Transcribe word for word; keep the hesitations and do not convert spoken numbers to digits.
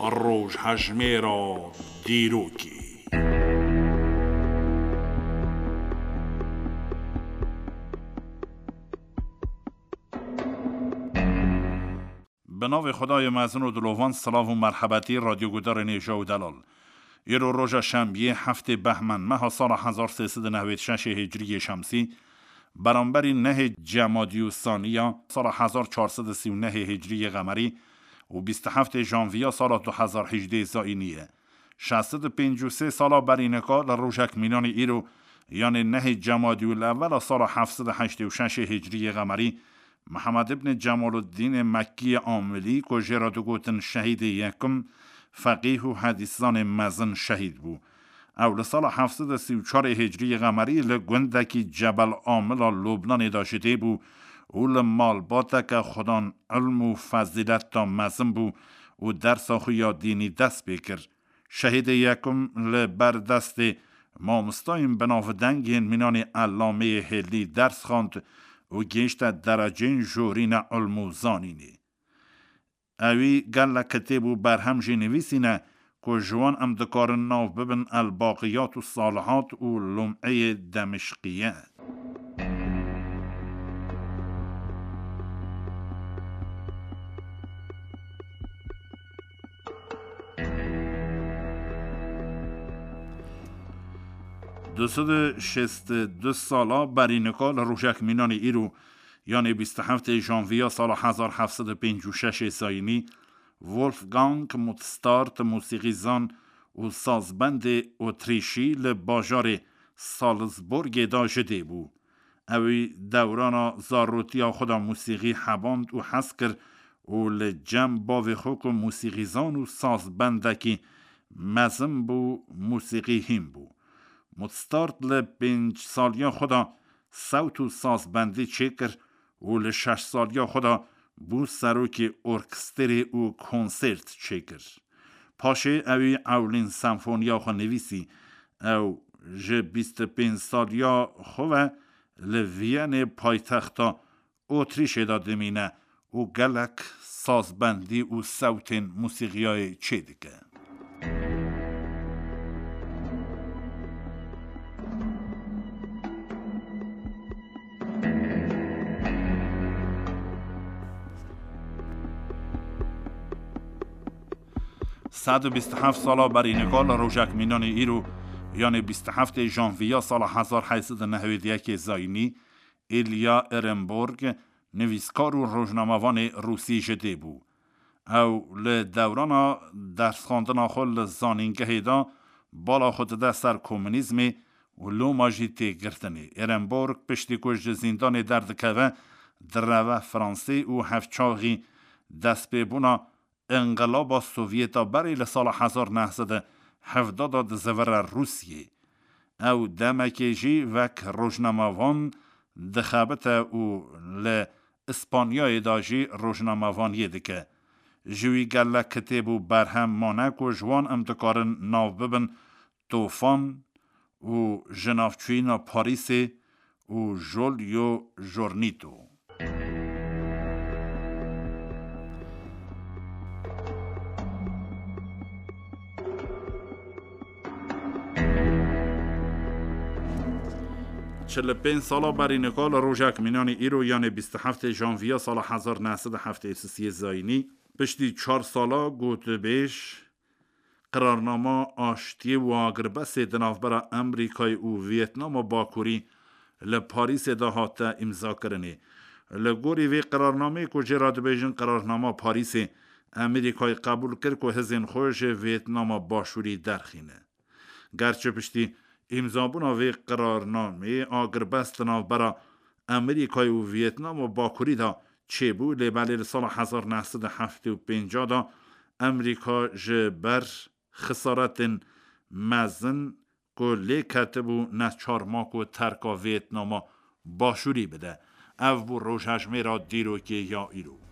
Rojhejmêra dîrokê. Bi navê Xwedayê mezin û dilovan, silav û merhebetî radyogudarên hêja û delal. Îro roja şembiyê, heftê Behmên meha sala hezar sê sed û nehwêd şeşê hicriyê şemsî, beramberî nehê Cemadî û Saniya sala hezar çar sed û sî û nehê hicriyê qemerî û bîst û heftê janviya sala du hezar hejdê zayînî ye. Şeş sed û pêncî û sê sala berî nika li rojek mînanî îro, yanê nehê Cemadî û Lewela sala heft sed û heştê û şeşê hicriyê qemerî, Mihemed ibn Cemaluddînê Mekkî Amilî, ku jê re digotin Şehîdê Yekim, feqîh û hedîszanê mezin şehîd bû. Ew li sala heft sed û sî û çarê hicriyê qemerî li gundekî Cebel Amila Lubnanê de ji dê bû û li malbateke xudan ilm û fezîlet de mezin bû û dersa xwe ya dînî dest pê kir. Şehîdê Yekim li ber destê mamostayên binavdeng yên mînanê Ellameyê Hêlî ders xwend û gihişte dereceyên jorîne ilm û zanînê. Ewî gelek kitêb û berhem jî nivîsîne ku ji wan em dikarin nav bibin El Baqiyat û Salihat û Lum'eyê Demişqiye. Du sed û şêst û du sala berî nika li rojek mînanê îro, yanê bîst û heftê janviya sala hezar heft sed û pêncî û şeşê zayînî, Wolfgang Mozart, mûsîqîzan û sazbendê Otrîşî, li bajarê Salzburgê de ji dê bû. Ewî dewrana zarotiya xwe de mûsîqî heband û hez kir û li cem bavê xwe ku mûsîqîzan û sazbendekî mezin bû, mûsîqî hîn bû. Mozart li pênc saliya xwe de sewt û sazbendî çêkir û li şeş saliya xwe de bû serokê orkestrê û konsert çêkir. Paşê ewî ewlîn senfoniya xwe nivîsî. Ew ji bîst û pênc saliya xwe ve li Viyanê, paytexta Otrîşê de dimîne û gelek sazbendî û sewtên mûsîqiyayê çêdike. Sed û bîst û heft sala berî nika li rojek mînanê îro, yanê bîst û heftê janviya sala hezar heyt sed û nehwêd yekê zayînî, Ilya Ehrenburg, nivîskar û rojnamevanê rûsî ji dê bû. Ew li dewrana dersxwendina xwe li zanîngehê de bala xwe dide ser komunîzmê û loma jî tê girtinê. Ehrenburg piştî ku ji zîndanê derdikeve, direve Fransê û hevçaxî destpêbûna Înqilaba Sovyeta berê li sala hezar neh sed û hevdeh de dizivire Rûsiyê. Ew demekê jî wek rojnamevan dixebite û li Îspanyayê de jî rojnamevaniyê dike. Ji wî gelek kitêb û berhem mane ku ji wan em dikarin nav bibin Tofan û Ji navçûyîna Parîsê û Jolyo Jornîto. Çil û pênc sala berî nika li rojek mînanî îro, yanê bîst û heftê janviya sala hezar neh sed û heftê û sisê zayînî, piştî çar sala gotûbêj, qirarnama aştiyê û agirbestê di navbera Amerîkayê û Vîetnama Bakurî li Parîsê de hate îmzakirinê. Li gorî vê qirarnameyê ku jê re dibêjin qirarnama Parîsê, Amerîkayê qebûl kir ku hizên xwe ji Vîetnama Başûrî derxîne. Gerçi piştî îmzabûna vê qirarnameyê agirbest di navbera Amerîkayê û Vîetnama Bakurî de çêbû, lê belê li sala hezar neh sed û heftê û pênc de Amerîka ji ber xisaretên mezin ku lê ketibû neçar ma ku terka Vîetnama Başûrî bide. Ev bû rojhejmêra dîrokê ya îro.